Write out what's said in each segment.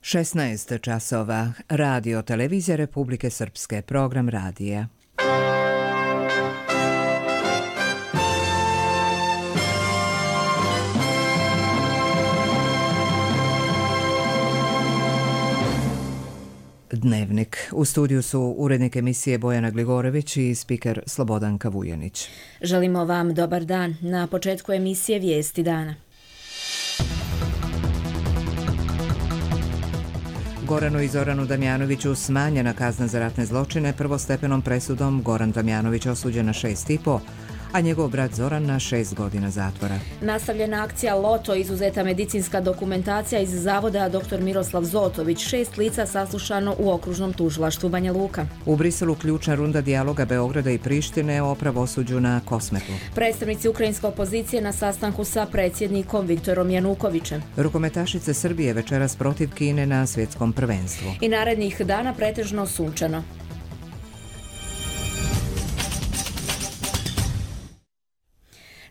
16 časova. Radio Televizija Republike Srpske. Program radija. Dnevnik. U studiju su urednik emisije Bojana Gligorević i spiker Slobodanka Vujanić. Želimo vam dobar dan. Na početku emisije Vijesti dana. Goranu i Zoranu Damjanoviću smanjena kazna za ratne zločine. Prvostepenom presudom Goran Damjanović osuđen na 6,5, a njegov brat Zoran na 6 godina zatvora. Nastavljena akcija Loto, izuzeta medicinska dokumentacija iz zavoda dr. Miroslav Zotović, 6 lica saslušano u okružnom tužilaštvu Banja Luka. U Briselu ključna runda dijaloga Beograda i Prištine o pravosuđu na Kosmetu. Predstavnici ukrajinske opozicije na sastanku sa predsjednikom Viktorom Janukovićem. Rukometašice Srbije večeras protiv Kine na svjetskom prvenstvu. I narednih dana pretežno sunčano.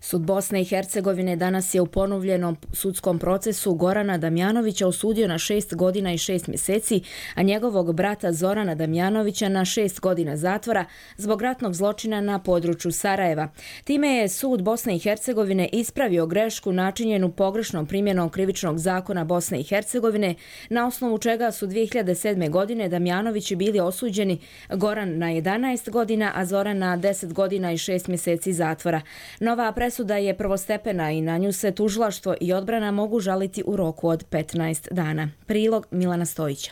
Sud Bosne i Hercegovine danas je u ponovljenom sudskom procesu Gorana Damjanovića osudio na 6 godina i 6 mjeseci, a njegovog brata Zorana Damjanovića na 6 godina zatvora zbog ratnog zločina na području Sarajeva. Time je sud Bosne i Hercegovine ispravio grešku načinjenu pogrešnom primjenom krivičnog zakona Bosne i Hercegovine, na osnovu čega su 2007. godine Damjanovići bili osuđeni, Goran na 11 godina, a Zoran na 10 godina i 6 mjeseci zatvora. Nova presuda je prvostepena i na nju se tužilaštvo i odbrana mogu žaliti u roku od 15 dana. Prilog Milana Stojića.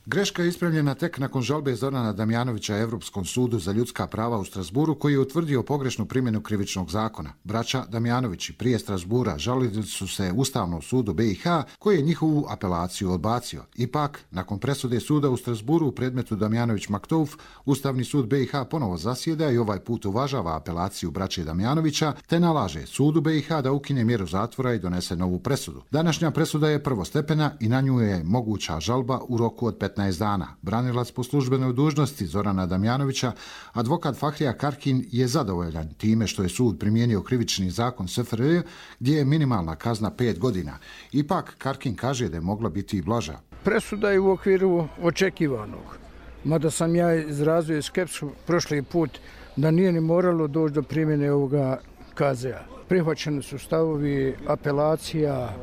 Greška je ispravljena tek nakon žalbe Zorana Damjanovića Europskom sudu za ljudska prava u Strasburu, koji je utvrdio pogrešnu primjenu krivičnog zakona. Braća Damjanovići prije Strasbura žalili su se Ustavnom sudu BiH, koji je njihovu apelaciju odbacio. Ipak, nakon presude suda u Strasburu u predmetu Damjanović-Maktouf, Ustavni sud BiH ponovo zasjeda i ovaj put uvažava apelaciju braće Damjanovića, te nalaže sudu BiH da ukine mjeru zatvora i donese novu presudu. Današnja presuda je prvostepena i na nju je moguća žalba u roku od 15 dana. Branilac po službenoj dužnosti Zorana Damjanovića, advokat Fahrija Karkin, je zadovoljan time što je sud primijenio krivični zakon SFRJ, gdje je minimalna kazna 5 godina. Ipak, Karkin kaže da je mogla biti i blaža. Presuda je u okviru očekivanog. Mada sam ja izrazio skepsu prošli put da nije ni moralo doći do primjene ovoga KZ-a. Prihvaćeni su stavovi apelacija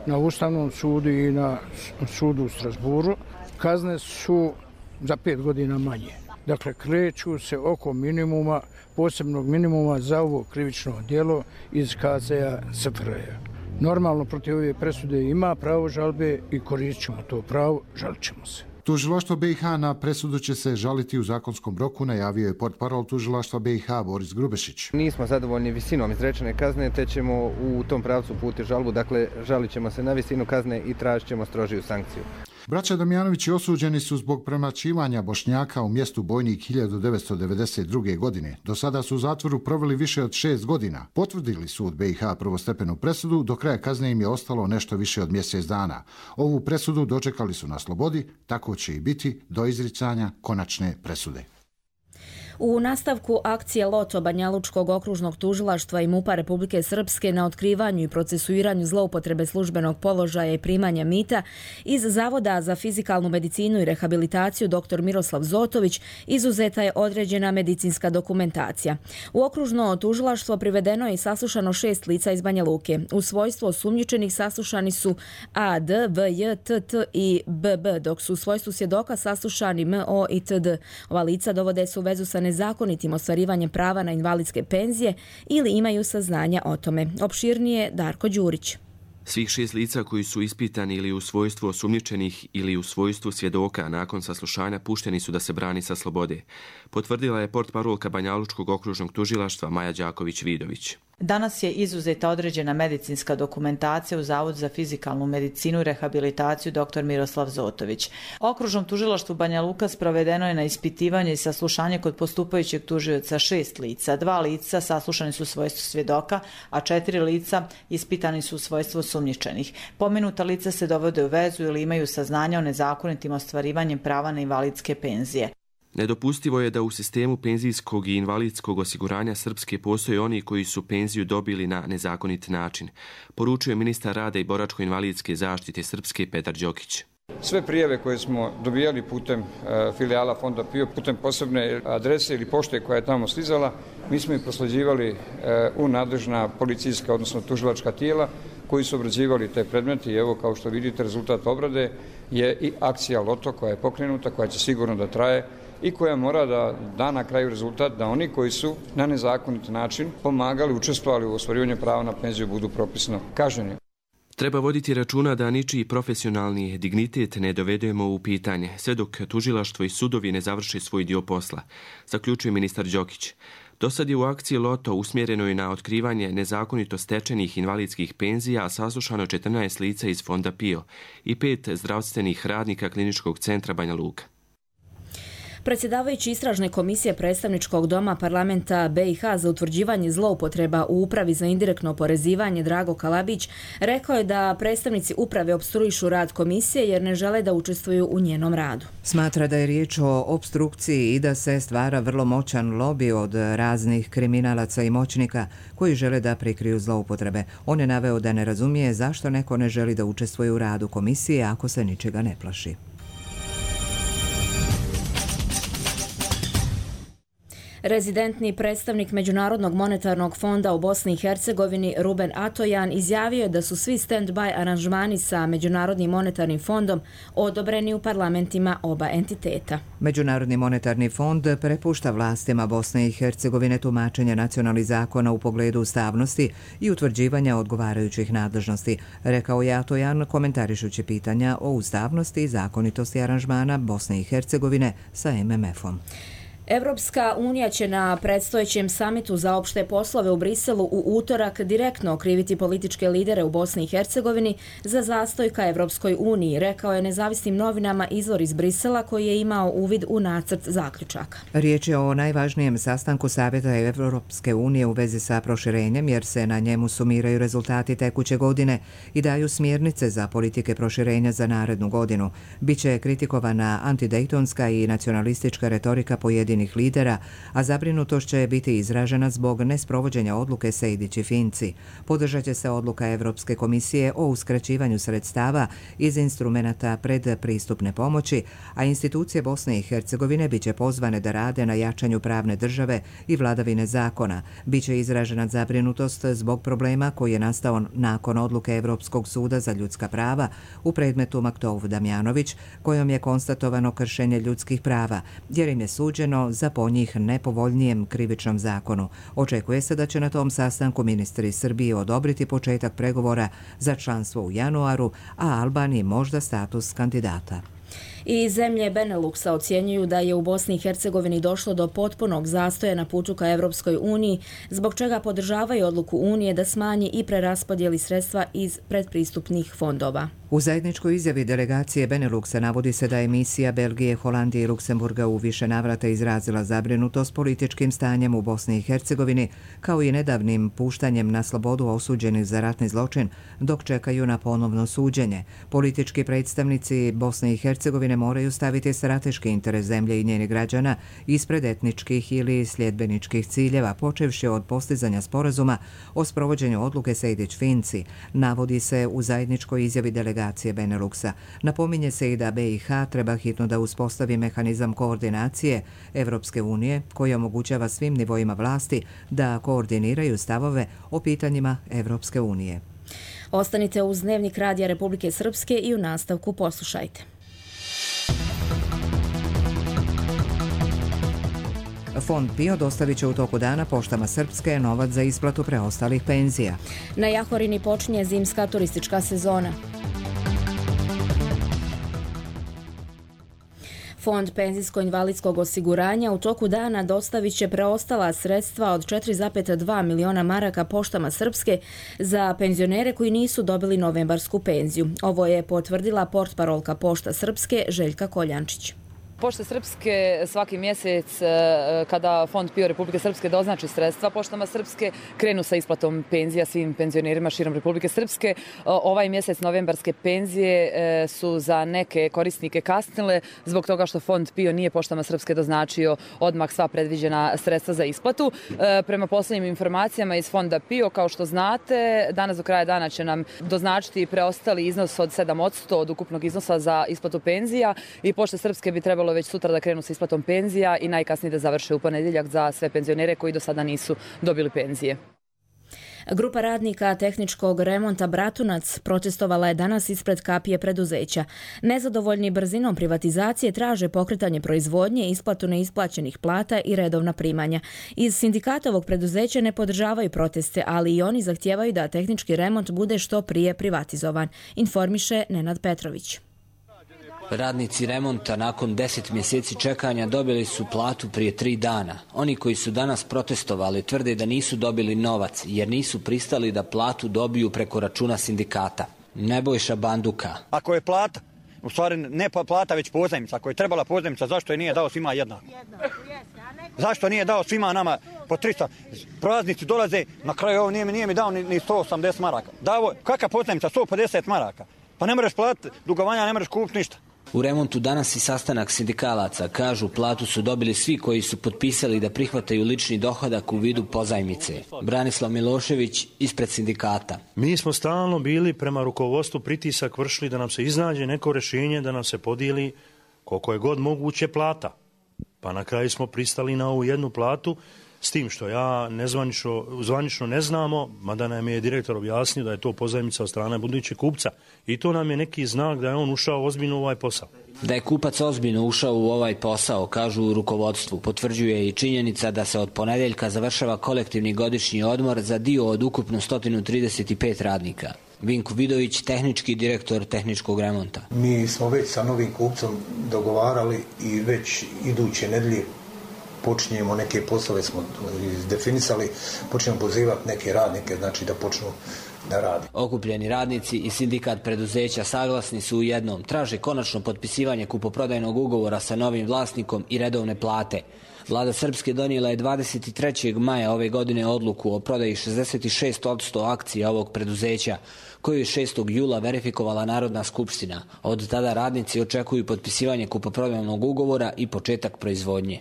na Ustavnom sudu i na sudu u Strasburu. Kazne su za 5 godina manje. Dakle, kreću se oko minimuma, posebnog minimuma za ovo krivično djelo iz KZ-a SFRJ. Normalno, protiv ove presude ima pravo žalbe i koristit ćemo to pravo, žalit ćemo se. Tužilaštvo BiH na presudu će se žaliti u zakonskom roku, najavio je portparol tužilaštva BiH Boris Grubešić. Nismo zadovoljni visinom izrečene kazne, te ćemo u tom pravcu uputiti žalbu, dakle žalit ćemo se na visinu kazne i tražit ćemo strožiju sankciju. Braća Damjanovići osuđeni su zbog premlaćivanja Bošnjaka u mjestu Bojnik 1992. godine. Do sada su u zatvoru proveli više od 6 godina. Potvrdili sud BiH prvostepenu presudu, do kraja kazne im je ostalo nešto više od mjesec dana. Ovu presudu dočekali su na slobodi, tako će i biti do izricanja konačne presude. U nastavku akcije Loto Banjalučkog okružnog tužilaštva i MUP-a Republike Srpske na otkrivanju i procesuiranju zloupotrebe službenog položaja i primanja mita iz Zavoda za fizikalnu medicinu i rehabilitaciju dr. Miroslav Zotović izuzeta je određena medicinska dokumentacija. U okružno tužilaštvo privedeno je i saslušano 6 lica iz Banja Luke. U svojstvu osumnjičenih saslušani su AD, VJ, TT i BB, dok su u svojstvu svjedoka saslušani MO i TD. Ova lica dovode se u vezu sa nezakonitim ostvarivanjem prava na invalidske penzije ili imaju saznanja o tome. Opširnije Darko Đurić. Svih 6 lica koji su ispitani ili u svojstvu osumnjičenih ili u svojstvu svjedoka nakon saslušanja pušteni su da se brani sa slobode. Potvrdila je portparolka Banjalučkog okružnog tužilaštva Maja Đaković-Vidović. Danas je izuzeta određena medicinska dokumentacija u Zavodu za fizikalnu medicinu i rehabilitaciju dr. Miroslav Zotović. Okružnom tužilaštvu Banja Luka sprovedeno je na ispitivanje i saslušanje kod postupajućeg tužioca 6 lica. 2 lica saslušani su u svojstvu svjedoka, a 4 lica ispitani su u svojstvu osumnjičenih. Pomenuta lica se dovode u vezu ili imaju saznanja o nezakonitim ostvarivanjem prava na invalidske penzije. Nedopustivo je da u sistemu penzijskog i invalidskog osiguranja Srpske postoje oni koji su penziju dobili na nezakonit način, poručuje ministar rada i boračko-invalidske zaštite Srpske Petar Đokić. Sve prijave koje smo dobijali putem filijala Fonda PIO, putem posebne adrese ili pošte koja je tamo stizala, mi smo ih prosleđivali u nadležna policijska, odnosno tužilačka tijela koji su obrađivali te predmete i evo kao što vidite rezultat obrade je i akcija Loto koja je pokrenuta, koja će sigurno da traje i koja mora da da na kraju rezultat da oni koji su na nezakonit način pomagali, učestvovali u ostvarivanju prava na penziju budu propisno kažnjeni. Treba voditi računa da ničiji profesionalni dignitet ne dovedemo u pitanje, sve dok tužilaštvo i sudovi ne završe svoj dio posla, zaključuje ministar Đokić. Dosad je u akciji Loto usmjerenoj na otkrivanje nezakonito stečenih invalidskih penzija saslušano 14 lica iz Fonda PIO i 5 zdravstvenih radnika Kliničkog centra Banja Luka. Predsjedavajući istražne komisije predstavničkog doma parlamenta BiH za utvrđivanje zloupotreba u upravi za indirektno oporezivanje Drago Kalabić rekao je da predstavnici uprave opstruišu rad komisije jer ne žele da učestvuju u njenom radu. Smatra da je riječ o opstrukciji i da se stvara vrlo moćan lobi od raznih kriminalaca i moćnika koji žele da prikriju zloupotrebe. On je naveo da ne razumije zašto neko ne želi da učestvuje u radu komisije ako se ničega ne plaši. Rezidentni predstavnik Međunarodnog monetarnog fonda u Bosni i Hercegovini Ruben Atojan izjavio je da su svi stand-by aranžmani sa Međunarodnim monetarnim fondom odobreni u parlamentima oba entiteta. Međunarodni monetarni fond prepušta vlastima Bosne i Hercegovine tumačenje nacionalnih zakona u pogledu ustavnosti i utvrđivanja odgovarajućih nadležnosti, rekao je Atojan komentarišući pitanja o ustavnosti i zakonitosti aranžmana Bosne i Hercegovine sa MMF-om. Evropska unija će na predstojećem samitu za opšte poslove u Briselu u utorak direktno okriviti političke lidere u Bosni i Hercegovini za zastoj ka Evropskoj uniji, rekao je nezavisnim novinama izvor iz Brisela koji je imao uvid u nacrt zaključaka. Riječ je o najvažnijem sastanku Savjeta Evropske unije u vezi sa proširenjem jer se na njemu sumiraju rezultati tekuće godine i daju smjernice za politike proširenja za narednu godinu. Biće kritikovana antidejtonska i nacionalistička retorika pojedinih lidera, a zabrinutost će biti izražena zbog nesprovođenja odluke Sejdić i Finci. Podržat će se odluka Evropske komisije o uskraćivanju sredstava iz instrumenata predpristupne pomoći, a institucije Bosne i Hercegovine biće pozvane da rade na jačanju pravne države i vladavine zakona. Biće izražena zabrinutost zbog problema koji je nastao nakon odluke Evropskog suda za ljudska prava u predmetu Maktov Damjanović, kojom je konstatovano kršenje ljudskih prava, jer im je suđeno za po njih nepovoljnijem krivičnom zakonu. Očekuje se da će na tom sastanku ministri Srbije odobriti početak pregovora za članstvo u januaru, a Albaniji možda status kandidata. I zemlje Beneluxa ocjenjuju da je u Bosni i Hercegovini došlo do potpunog zastoja na putu ka Evropskoj uniji, zbog čega podržavaju odluku Unije da smanji i preraspodijeli sredstva iz predpristupnih fondova. U zajedničkoj izjavi delegacije Beneluxa navodi se da je misija Belgije, Holandije i Luksemburga u više navrata izrazila zabrinutost političkim stanjem u Bosni i Hercegovini, kao i nedavnim puštanjem na slobodu osuđenih za ratni zločin, dok čekaju na ponovno suđenje. Politički predstavnici Bosne i Hercegovine moraju staviti strateški interes zemlje i njenih građana ispred etničkih ili sljedbeničkih ciljeva, počevši od postizanja sporazuma o sprovođenju odluke Sejdić-Finci, navodi se u zajedničkoj izjavi delegacije Beneluxa. Napominje se i da BiH treba hitno da uspostavi mehanizam koordinacije Evropske unije koji omogućava svim nivoima vlasti da koordiniraju stavove o pitanjima Evropske unije. Ostanite uz Dnevnik Radija Republike Srpske i u nastavku poslušajte. Fond PIO dostavit će u toku dana poštama Srpske novac za isplatu preostalih penzija. Na Jahorini počinje zimska turistička sezona. Fond penzijsko-invalidskog osiguranja u toku dana dostavit će preostala sredstva od 4,2 miliona maraka poštama Srpske za penzionere koji nisu dobili novembarsku penziju. Ovo je potvrdila portparolka Pošta Srpske Željka Koljančić. Pošte Srpske svaki mjesec kada Fond PIO Republike Srpske doznači sredstva Poštama Srpske krenu sa isplatom penzija svim penzionerima širom Republike Srpske. Ovaj mjesec novembarske penzije su za neke korisnike kasnile zbog toga što Fond PIO nije Poštama Srpske doznačio odmah sva predviđena sredstva za isplatu. Prema posljednjim informacijama iz Fonda PIO, kao što znate, danas do kraja dana će nam doznačiti preostali iznos od 7% od ukupnog iznosa za isplatu penzija i Pošte Srpske bi trebalo već sutra da krenu sa isplatom penzija i najkasnije da završe u ponedjeljak za sve penzionere koji do sada nisu dobili penzije. Grupa radnika tehničkog remonta Bratunac protestovala je danas ispred kapije preduzeća. Nezadovoljni brzinom privatizacije traže pokretanje proizvodnje, isplatu neisplaćenih plata i redovna primanja. Iz sindikata ovog preduzeća ne podržavaju proteste, ali i oni zahtijevaju da tehnički remont bude što prije privatizovan, informiše Nenad Petrović. Radnici remonta nakon 10 mjeseci čekanja dobili su platu prije 3 dana. Oni koji su danas protestovali tvrde da nisu dobili novac jer nisu pristali da platu dobiju preko računa sindikata. Nebojša Banduka. Ako je plata, u stvari ne plata već pozajmica, ako je trebala pozajmica, zašto je nije dao svima jednako? Zašto nije dao svima nama po 300? Praznici dolaze, na kraju ovo nije mi dao ni 180 maraka. Davo, kakva pozajmica? 150 maraka. Pa ne možeš platiti dugovanja, ne možeš kupiti ništa. U remontu danas i sastanak sindikalaca. Kažu, platu su dobili svi koji su potpisali da prihvataju lični dohodak u vidu pozajmice. Branislav Milošević ispred sindikata. Mi smo stalno bili prema rukovodstvu pritisak vršili da nam se iznađe neko rješenje, da nam se podijeli koliko je god moguće plata. Pa na kraju smo pristali na ovu jednu platu, s tim što ja zvanično ne znamo, mada nam je direktor objasnio da je to pozajmica od strane budućeg kupca. I to nam je neki znak da je on ušao ozbiljno u ovaj posao. Da je kupac ozbiljno ušao u ovaj posao, kažu u rukovodstvu, potvrđuje i činjenica da se od ponedjeljka završava kolektivni godišnji odmor za dio od ukupno 135 radnika. Vinko Vidović, tehnički direktor tehničkog remonta. Mi smo već sa novim kupcom dogovarali i već iduće nedelje počinjemo neke poslove, smo definisali, počinjemo pozivati neke radnike, znači da počnu da radi. Okupljeni radnici i sindikat preduzeća saglasni su u jednom. Traže konačno potpisivanje kupoprodajnog ugovora sa novim vlasnikom i redovne plate. Vlada Srpske donijela je 23. maja ove godine odluku o prodaji 66% akcija ovog preduzeća, koju je 6. jula verifikovala Narodna skupština. Od tada radnici očekuju potpisivanje kupoprodajnog ugovora i početak proizvodnje.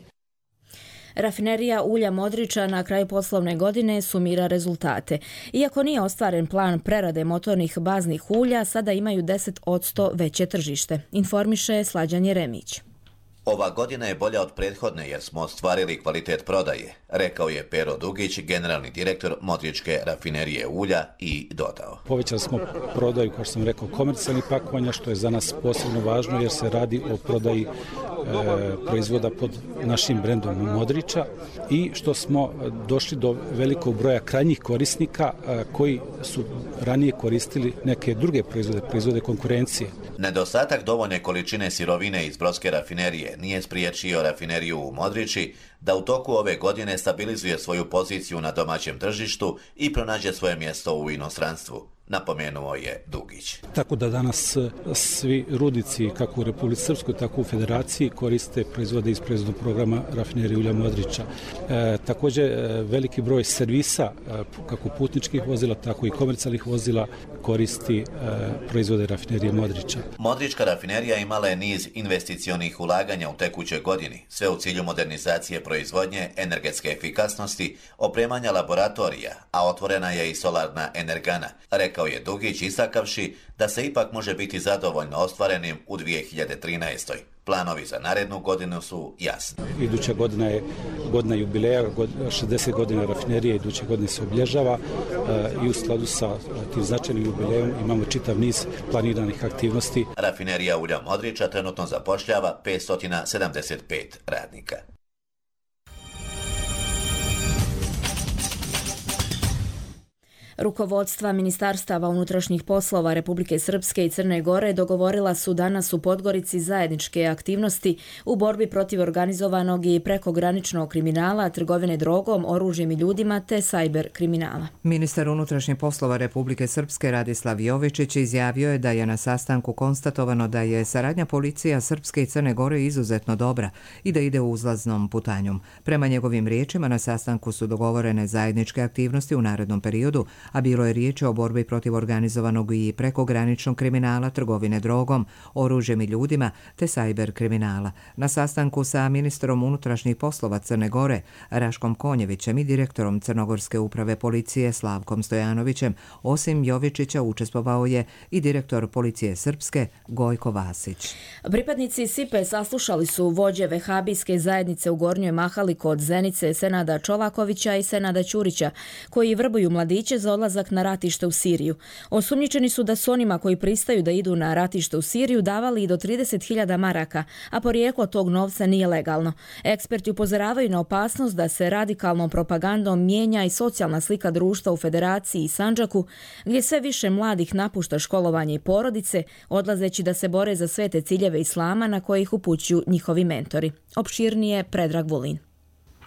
Rafinerija ulja Modriča na kraju poslovne godine sumira rezultate. Iako nije ostvaren plan prerade motornih baznih ulja, sada imaju 10% veće tržište, informiše Slađan Jeremić. Ova godina je bolja od prethodne jer smo ostvarili kvalitet prodaje, rekao je Pero Dugić, generalni direktor Modričke rafinerije ulja i dodao. Povećali smo prodaju, kao što sam rekao, komercijalnih pakovanja, što je za nas posebno važno jer se radi o prodaji proizvoda pod našim brendom Modriča i što smo došli do velikog broja krajnjih korisnika koji su ranije koristili neke druge proizvode konkurencije. Nedostatak dovoljne količine sirovine iz brodske rafinerije nije spriječio rafineriju u Modriči da u toku ove godine stabilizuje svoju poziciju na domaćem tržištu i pronađe svoje mjesto u inostranstvu, napomenuo je Dugić. Tako da danas svi rudnici, kako u Republici Srpskoj, tako u Federaciji, koriste proizvode iz proizvodnog programa rafinerije ulja Modriča. Također, veliki broj servisa, kako putničkih vozila, tako i komercijalnih vozila, koristi proizvode rafinerije Modriča. Modrička rafinerija imala je niz investicionih ulaganja u tekućoj godini, sve u cilju modernizacije proizvodnje, energetske efikasnosti, opremanja laboratorija, a otvorena je i solarna energana, rekao je Dugić, istakavši da se ipak može biti zadovoljno ostvarenim u 2013. Planovi za narednu godinu su jasni. Iduća godina je godina jubileja, 60 godina rafinerije iduće godine se obilježava i u skladu sa tim značajnim jubilejom imamo čitav niz planiranih aktivnosti. Rafinerija ulja Modriča trenutno zapošljava 575 radnika. Rukovodstva Ministarstava unutrašnjih poslova Republike Srpske i Crne Gore dogovorila su danas u Podgorici zajedničke aktivnosti u borbi protiv organizovanog i prekograničnog kriminala, trgovine drogom, oružjem i ljudima te sajber kriminala. Ministar unutrašnjih poslova Republike Srpske Radislav Jovičić izjavio je da je na sastanku konstatovano da je saradnja policija Srpske i Crne Gore izuzetno dobra i da ide uzlaznom putanjom. Prema njegovim riječima, na sastanku su dogovorene zajedničke aktivnosti u narednom periodu, a bilo je riječ o borbi protiv organizovanog i prekograničnog kriminala, trgovine drogom, oružjem i ljudima te sajber kriminala. Na sastanku sa ministrom unutrašnjih poslova Crne Gore Raškom Konjevićem i direktorom Crnogorske uprave policije Slavkom Stojanovićem, osim Jovičića učestvovao je i direktor policije Srpske Gojko Vasić. Pripadnici SIPE saslušali su vođe vehabijske zajednice u Gornjoj Mahali kod Zenice Senada Čolakovića i Senada Ćurića, koji vrbuju mladiće za odlazak na ratište u Siriju. Osumnjičeni su da su onima koji pristaju da idu na ratište u Siriju davali i do 30.000 maraka, a porijeklo tog novca nije legalno. Eksperti upozoravaju na opasnost da se radikalnom propagandom mijenja i socijalna slika društva u Federaciji i Sandžaku, gdje sve više mladih napušta školovanje i porodice, odlazeći da se bore za svete ciljeve islama na koje ih upućuju njihovi mentori. Opširnije Predrag Vulin.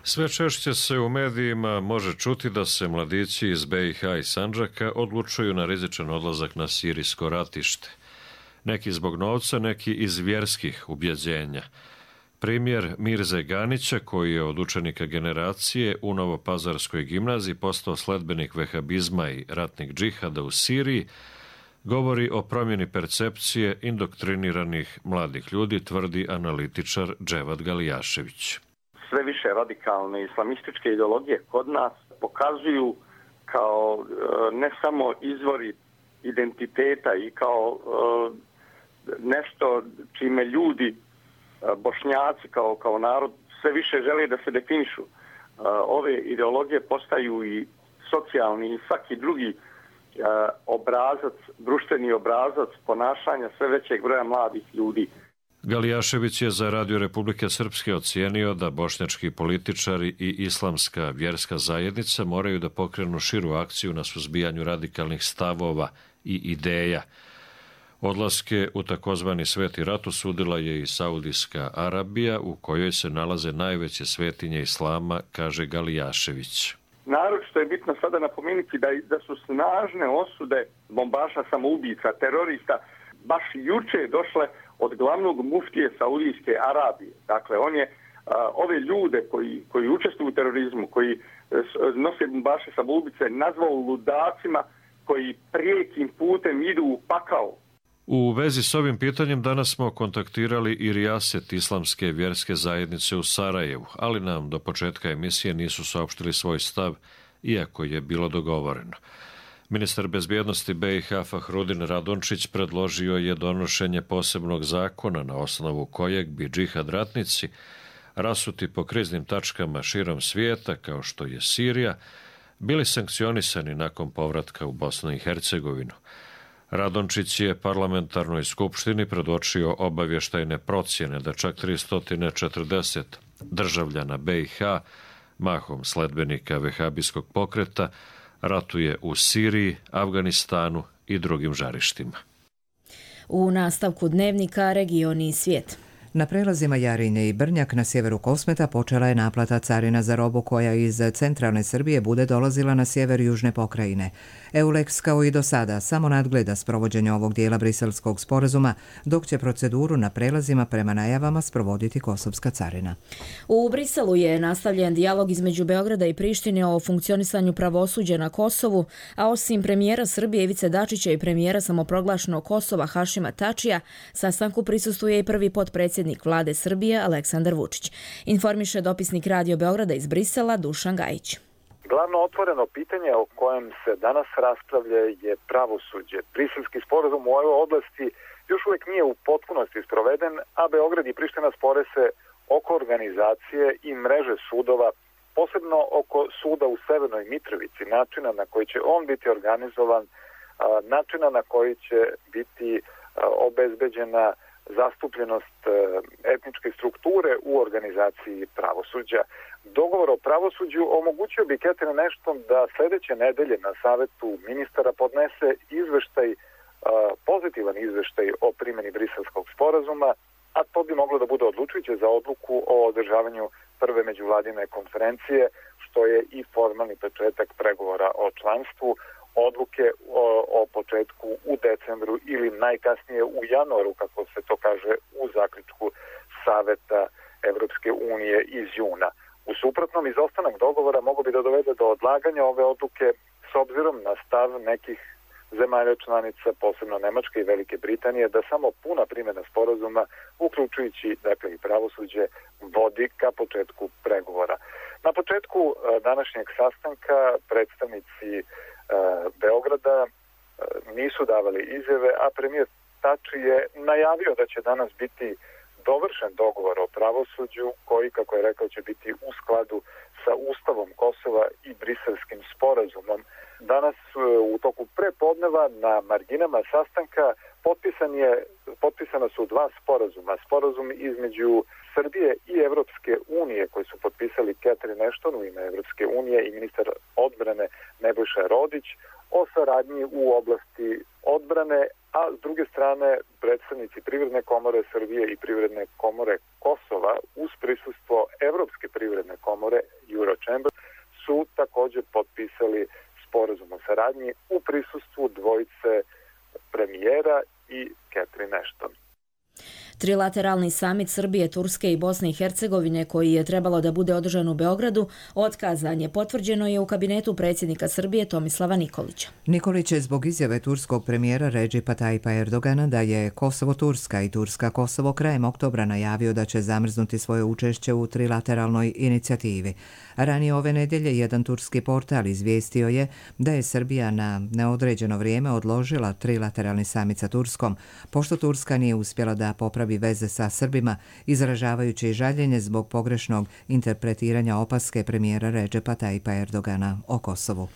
Sve češće se u medijima može čuti da se mladići iz BiH i Sandžaka odlučuju na rizičan odlazak na sirijsko ratište. Neki zbog novca, neki iz vjerskih ubjeđenja. Primjer Mirze Ganića, koji je od učenika generacije u Novopazarskoj gimnaziji postao sledbenik vehabizma i ratnih džihada u Siriji, govori o promjeni percepcije indoktriniranih mladih ljudi, tvrdi analitičar Dževad Galijašević. Sve više radikalne islamističke ideologije kod nas pokazuju kao ne samo izvori identiteta i kao nešto čime ljudi, Bošnjaci kao narod, sve više žele da se definišu. Ove ideologije postaju i socijalni i svaki drugi obrazac, društveni obrazac ponašanja sve većeg broja mladih ljudi. Galijašević je za Radio Republike Srpske ocijenio da bošnjački političari i islamska vjerska zajednica moraju da pokrenu širu akciju na suzbijanju radikalnih stavova i ideja. Odlaske u takozvani Sveti rat osudila je i Saudijska Arabija, u kojoj se nalaze najveće svetinje islama, kaže Galijašević. Naročito je bitno sada napomenuti da su snažne osude bombaša, samoubica, terorista baš juče došle od glavnog muftije Saudijske Arabije. Dakle, on je ove ljude koji učestvuju u terorizmu, koji nose bombaše, samoubice, nazvao ludacima koji prijekim putem idu u pakao. U vezi s ovim pitanjem danas smo kontaktirali i rijaset islamske vjerske zajednice u Sarajevu, ali nam do početka emisije nisu saopštili svoj stav, iako je bilo dogovoreno. Ministar bezbjednosti BiH Fahrudin Radončić predložio je donošenje posebnog zakona na osnovu kojeg bi džihad ratnici rasuti po kriznim tačkama širom svijeta, kao što je Sirija, bili sankcionisani nakon povratka u Bosnu i Hercegovinu. Radončić je parlamentarnoj skupštini predočio obavještajne procjene da čak 340 državljana BiH, mahom sledbenika vehabijskog pokreta, ratuje u Siriji, Afganistanu i drugim žarištima. U nastavku dnevnika Regioni i svijet. Na prelazima Jarinje i Brnjak na sjeveru Kosmeta počela je naplata carina za robu koja iz centralne Srbije bude dolazila na sjever južne pokrajine. EULEX kao i do sada samo nadgleda sprovođenje ovog dijela briselskog sporazuma, dok će proceduru na prelazima prema najavama sprovoditi kosovska carina. U Briselu je nastavljen dijalog između Beograda i Prištine o funkcionisanju pravosuđa na Kosovu, a osim premijera Srbije Ivice Dačića i premijera samoproglašenog Kosova Hašima Tačija, sastanku prisustvuje i prvi potpredsjednik Vlade Srbije Aleksandar Vučić. Informiše dopisnik Radio Beograda iz Brisela Dušan Gajić. Glavno otvoreno pitanje o kojem se danas raspravlja je pravosuđe. Briselski sporazum u ovoj oblasti još uvijek nije u potpunosti sproveden, a Beograd i Priština spore se oko organizacije i mreže sudova, posebno oko suda u Severnoj Mitrovici, načina na koji će on biti organizovan, načina na koji će biti obezbeđena zastupljenost etničke strukture u organizaciji pravosuđa. Dogovor o pravosuđu omogućio bi Catherine Ashton da sljedeće nedelje na Savetu ministara podnese izveštaj, pozitivan izveštaj o primjeni Briselskog sporazuma, a to bi moglo da bude odlučujuće za odluku o održavanju prve međuvladine konferencije, što je i formalni početak pregovora o članstvu. Odluke o početku u decembru ili najkasnije u januaru, kako se to kaže u zaključku Saveta Evropske unije iz juna. U suprotnom, izostanak dogovora mogu bi da dovede do odlaganja ove odluke s obzirom na stav nekih zemalja članica, posebno Nemačke i Velike Britanije, da samo puna primjena sporazuma, uključujući dakle i pravosuđe, vodi ka početku pregovora. Na početku današnjeg sastanka predstavnici Beograda nisu davali izjave, a premijer Tači je najavio da će danas biti dovršen dogovor o pravosuđu koji, kako je rekao, će biti u skladu sa Ustavom Kosova i Briselskim sporazumom. Danas u toku prepodneva na marginama sastanka potpisana su dva sporazuma. Sporazum između Srbije i Evropske unije koji su potpisali Catherine Ashton u ime Evropske unije i ministar odbrane Nebojša Rodić o saradnji u oblasti odbrane, a s druge strane predstavnici Privredne komore Srbije i Privredne komore Kosova uz prisustvo Evropske privredne komore Eurochamber su također potpisali sporazum o saradnji u prisustvu dvojice premijera i Catherine Ashton. Trilateralni samit Srbije, Turske i Bosne i Hercegovine koji je trebalo da bude održan u Beogradu, otkazan je. Potvrđeno je u kabinetu predsjednika Srbije Tomislava Nikolića. Nikolić je zbog izjave turskog premijera Recipa Tayyipa Erdogana da je Kosovo-Turska i Turska-Kosovo krajem oktobra najavio da će zamrznuti svoje učešće u trilateralnoj inicijativi. Ranije ove nedjelje jedan turski portal izvijestio je da je Srbija na neodređeno vrijeme odložila trilateralni samit sa Turskom, pošto Turska nije uspjela da popravi veze sa Srbima, izražavajući žaljenje zbog pogrešnog interpretiranja opaske premijera Recipa Tayyipa Erdogana o Kosovu.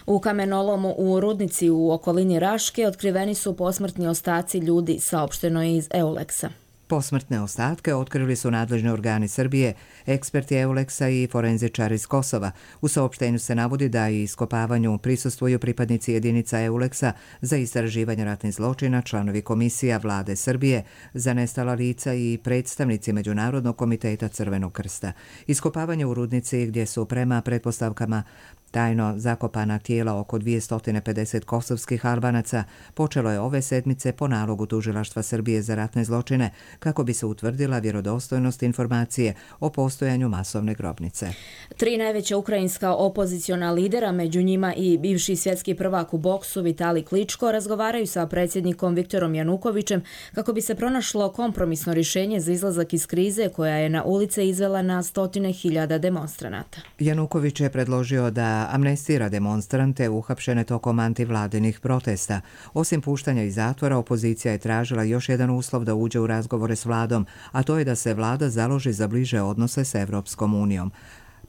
U kamenolomu u Rudnici u okolini Raške otkriveni su posmrtni ostaci ljudi, saopšteno je iz Eulexa. Posmrtne ostatke otkrili su nadležni organi Srbije, eksperti Euleksa i forenzičari iz Kosova. U saopštenju se navodi da i iskopavanju prisustvuju pripadnici jedinica Euleksa za istraživanje ratnih zločina, članovi komisija vlade Srbije za nestala lica i predstavnici Međunarodnog komiteta Crvenog krsta. Iskopavanje u Rudnici, gdje su prema pretpostavkama tajno zakopana tijela oko 250 kosovskih Albanaca, počelo je ove sedmice po nalogu Tužilaštva Srbije za ratne zločine kako bi se utvrdila vjerodostojnost informacije o postojanju masovne grobnice. 3 najveća ukrajinska opoziciona lidera, među njima i bivši svjetski prvak u boksu Vitali Kličko, razgovaraju sa predsjednikom Viktorom Janukovićem kako bi se pronašlo kompromisno rješenje za izlazak iz krize koja je na ulice izvela na 100.000 demonstranata. Januković je predložio da amnestira demonstrante uhapšene tokom antivladinih protesta. Osim puštanja iz zatvora, opozicija je tražila još jedan uslov da uđe u razgovore s vladom, a to je da se vlada založi za bliže odnose s Evropskom unijom.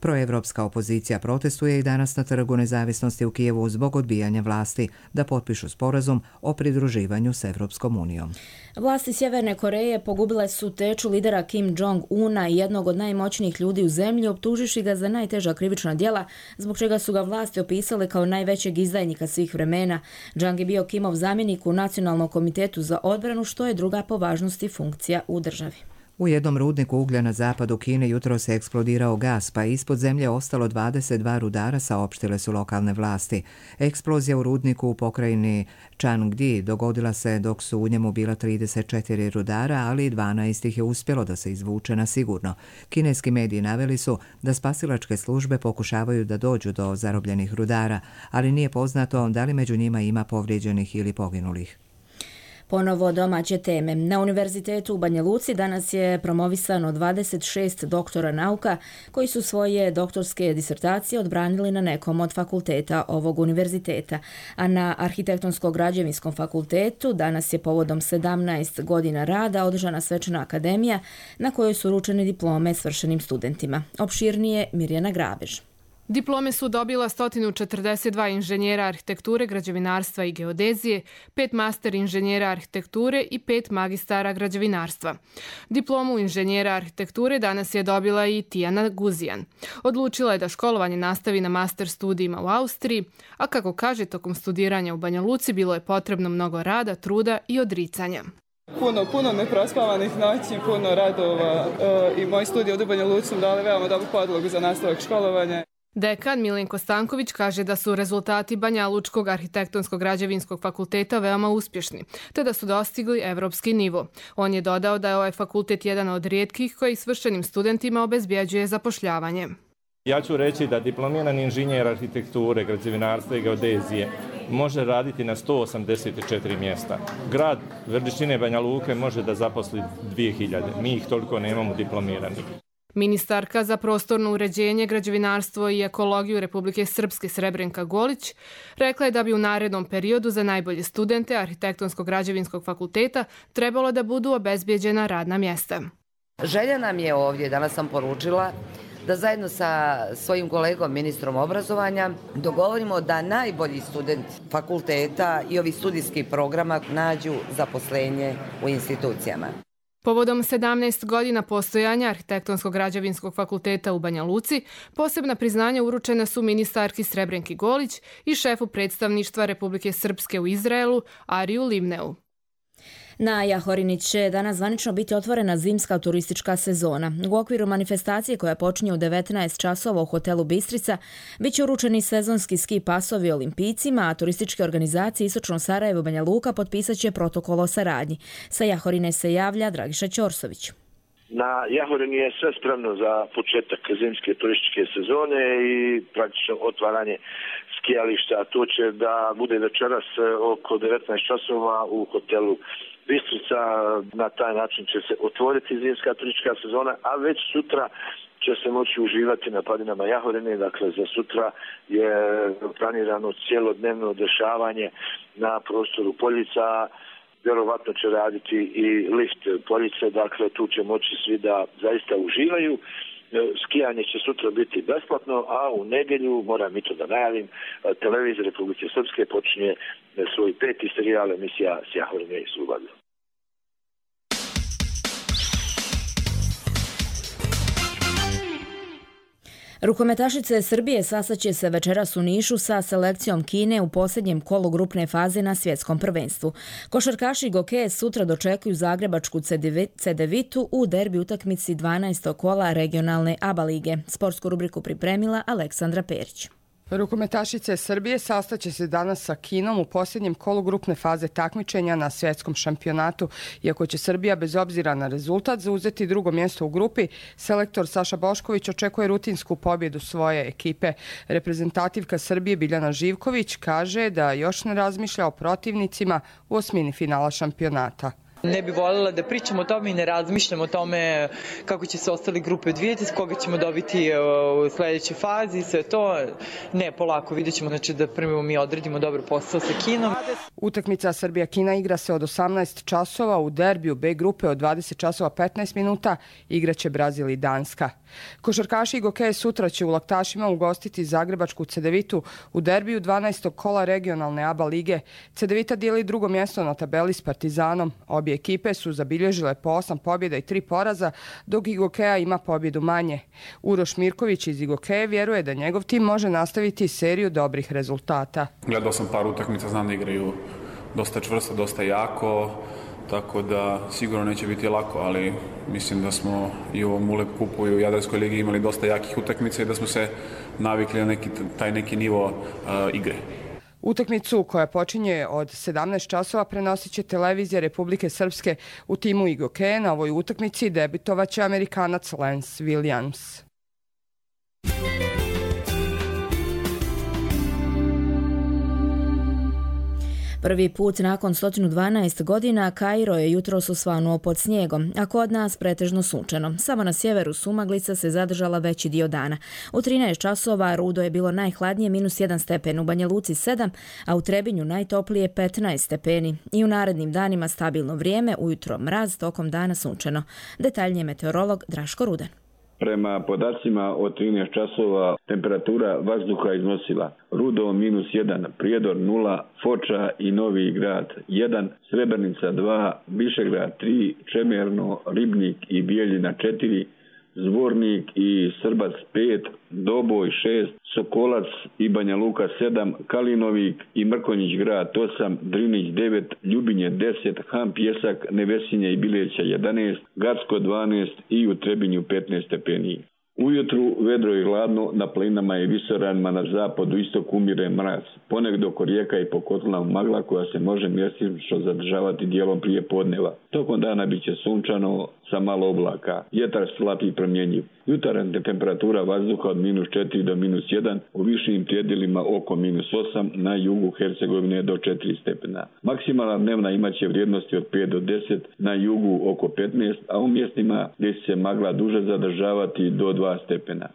Proevropska opozicija protestuje i danas na Trgu nezavisnosti u Kijevu zbog odbijanja vlasti da potpišu sporazum o pridruživanju s Evropskom unijom. Vlasti Sjeverne Koreje pogubile su teču lidera Kim Jong-una i jednog od najmoćnijih ljudi u zemlji, optužiši ga za najteža krivična djela, zbog čega su ga vlasti opisale kao najvećeg izdajnika svih vremena. Jang je bio Kimov zamjenik u Nacionalnom komitetu za odbranu, što je druga po važnosti funkcija u državi. U jednom rudniku uglja na zapadu Kine jutro se eksplodirao gas, pa je ispod zemlje ostalo 22 rudara, saopštile su lokalne vlasti. Eksplozija u rudniku u pokrajini Changdi dogodila se dok su u njemu bila 34 rudara, ali 12 ih je uspjelo da se izvuče na sigurno. Kineski mediji naveli su da spasilačke službe pokušavaju da dođu do zarobljenih rudara, ali nije poznato da li među njima ima povrijeđenih ili poginulih. Ponovo domaće teme. Na Univerzitetu u Banja Luci danas je promovisano 26 doktora nauka koji su svoje doktorske disertacije odbranili na nekom od fakulteta ovog univerziteta. A na Arhitektonsko-građevinskom fakultetu danas je povodom 17 godina rada održana svečana akademija na kojoj su uručene diplome svršenim studentima. Opširnije Mirjana Grabež. Diplome su dobila 142 inženjera arhitekture, građevinarstva i geodezije, 5 master inženjera arhitekture i 5 magistara građevinarstva. Diplomu inženjera arhitekture danas je dobila i Tijana Guzijan. Odlučila je da školovanje nastavi na master studijima u Austriji, a kako kaže, tokom studiranja u Banja Luci bilo je potrebno mnogo rada, truda i odricanja. Puno neprospavanih noći, puno radova i moji studiji u Banja Luci dali veoma dobru podlogu za nastavak školovanja. Dekan Milenko Stanković kaže da su rezultati Banja Lučkog arhitektonskog građevinskog fakulteta veoma uspješni, te da su dostigli evropski nivo. On je dodao da je ovaj fakultet jedan od rijetkih koji svršenim studentima obezbjeđuje zapošljavanje. Ja ću reći da diplomirani inženjer arhitekture, građevinarstva i geodezije može raditi na 184 mjesta. Grad veličine Banja Luke može da zaposli 2000. Mi ih toliko nemamo diplomiranih. Ministarka za prostorno uređenje, građevinarstvo i ekologiju Republike Srpske Srebrenka Golić rekla je da bi u narednom periodu za najbolje studente arhitektonskog građevinskog fakulteta trebalo da budu obezbjeđena radna mjesta. Želja nam je ovdje, danas sam poručila, da zajedno sa svojim kolegom ministrom obrazovanja dogovorimo da najbolji student fakulteta i ovih studijskih programa nađu zaposlenje u institucijama. Povodom 17 godina postojanja arhitektonskog građevinskog fakulteta u Banja Luci, posebna priznanja uručena su ministarki Srebrenki Golić i šefu predstavništva Republike Srpske u Izraelu Ariju Livneu. Na Jahorini će danas zvanično biti otvorena zimska turistička sezona. U okviru manifestacije koja počinje u 19 časova u hotelu Bistrica bit će uručeni sezonski ski pasovi olimpijcima, a turističke organizacije Istočno Sarajevo Banja Luka potpisat će protokol o saradnji. Sa Jahorine se javlja Dragiša Ćorsović. Na Jahorini je sve spremno za početak zimske turističke sezone i praktično otvaranje skijališta. To će da bude večeras oko 19 časova u hotelu Bistrica. Na taj način će se otvoriti zimska turistička sezona, a već sutra će se moći uživati na padinama Jahorine. Dakle, za sutra je planirano cijelodnevno dešavanje na prostoru Poljica. Vjerovatno će raditi i lift Poljice, dakle tu će moći svi da zaista uživaju. Skijanje će sutra biti besplatno, a u nedjelju, moram i to da najavim, televizija Republike Srpske počinje svoj 5. serijal emisija s Jahorine i Slobodne. Rukometašice Srbije sastaće se večeras u Nišu sa selekcijom Kine u posljednjem kolu grupne faze na svjetskom prvenstvu. Košarkaši Gokeje sutra dočekuju zagrebačku Cedevitu u derbi utakmici 12. kola regionalne ABA lige. Sportsku rubriku pripremila Aleksandra Perić. Rukometašice Srbije sastaće se danas sa Kinom u posljednjem kolu grupne faze takmičenja na svjetskom šampionatu. Iako će Srbija bez obzira na rezultat zauzeti drugo mjesto u grupi, selektor Saša Bošković očekuje rutinsku pobjedu svoje ekipe. Reprezentativka Srbije Biljana Živković kaže da još ne razmišlja o protivnicima u osmini finala šampionata. Ne bi voljela da pričamo o tome i ne razmišljamo o tome kako će se ostale grupe odvijeti, s koga ćemo dobiti u sljedećoj fazi, sve to. Ne, polako, vidjet ćemo, znači da prvo mi odredimo dobar posao sa Kinom. Utakmica Srbija-Kina igra se od 18 časova, u derbiju B grupe od 20 časova 15 minuta igraće Brazil i Danska. Košarkaši i Gokeje sutra će u Laktašima ugostiti zagrebačku Cedevitu u derbiju 12. kola regionalne ABA lige. Cedevita dijeli drugo mjesto na tabeli s Partizanom. Obje ekipe su zabilježile po 8 pobjeda i 3 poraza, dok Igokeja ima pobjedu manje. Uroš Mirković iz Igokeje vjeruje da njegov tim može nastaviti seriju dobrih rezultata. Gledao sam par utakmica, znam da igraju dosta čvrsto, dosta jako, tako da sigurno neće biti lako, ali mislim da smo i u ovom ULEP kupu i u Jadranskoj ligi imali dosta jakih utakmica i da smo se navikli na taj neki nivo igre. Utakmicu koja počinje od 17 časova prenosit će televizija Republike Srpske. U timu Igokeje na ovoj utakmici debitovaće Amerikanac Lance Williams. Prvi put nakon 112 godina Kairo je jutros osvanuo pod snijegom, a kod nas pretežno sunčano. Samo na sjeveru sumaglica se zadržala veći dio dana. U 13 časova rudo je bilo najhladnije -1 stepen, u Banja Luci 7, a u Trebinju najtoplije 15 stepeni. I u narednim danima stabilno vrijeme, ujutro mraz, tokom dana sunčano. Detaljnije meteorolog Draško Rudan. Prema podacima od 13 časova temperatura vazduha iznosila Rudo -1, Prijedor 0, Foča i Novi Grad 1, Srebrenica 2, Višegrad 3, Čemerno, Ribnik i Bijeljina 4, Zvornik i Srbac 5, Doboj 6, Sokolac i Banja Luka 7, Kalinovik i Mrkonjić grad 8, Drinić 9, Ljubinje 10, Han Pjesak, Nevesinje i Bileća 11, Gacko 12 i u Trebinju 15 stepeni. Ujutru vedro i hladno, na planinama i visoranima na zapadu istoku umire mraz. Ponegdje oko rijeka i po kotlinama magla koja se može mjestimično zadržavati dijelom prije podneva. Tokom dana bit će sunčano sa malo oblaka. Vjetar slab i promjenjiv. Jutarnja temperatura vazduha od -4 do -1, u višim predjelima oko -8, na jugu Hercegovine do 4 stepena. Maksimalna dnevna imaće vrijednosti od 5 do 10, na jugu oko 15, a u mjestima gdje će se magla duže zadržavati do 2 stepena.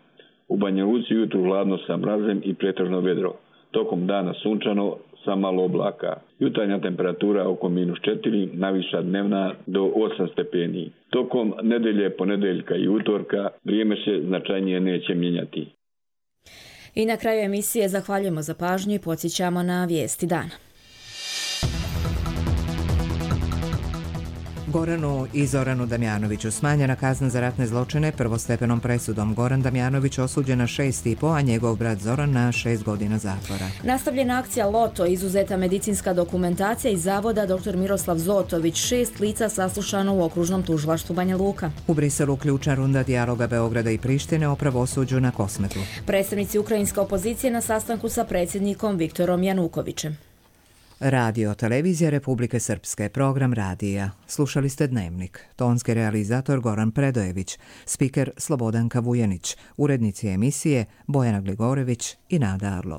U Banja Luci jutru hladno sa mrazem i pretežno vedro. Tokom dana sunčano sa malo oblaka. Jutarnja temperatura oko -4, najviša dnevna do 8 stepeni. Tokom nedelje, ponedeljka i utorka vrijeme se značajnije neće mijenjati. I na kraju emisije zahvaljujemo za pažnju i podsjećamo na vijesti dana. Goranu i Zoranu Damjanoviću smanjena kazna za ratne zločine prvostepenom presudom. Goran Damjanović osuđen na 6,5, a njegov brat Zoran na 6 godina zatvora. Nastavljena akcija Loto, izuzeta medicinska dokumentacija iz zavoda dr. Miroslav Zotović, 6 lica saslušano u okružnom tužilaštvu Banja Luka. U Briselu ključna runda dijaloga Beograda i Prištine o pravosuđu na Kosmetu. Predstavnici ukrajinske opozicije na sastanku sa predsjednikom Viktorom Janukovićem. Radio Televizija Republike Srpske, program radija. Slušali ste Dnevnik. Tonski realizator Goran Predojević, spiker Slobodanka Vujanić, urednici emisije Bojana Gligorević i Nada Arlo.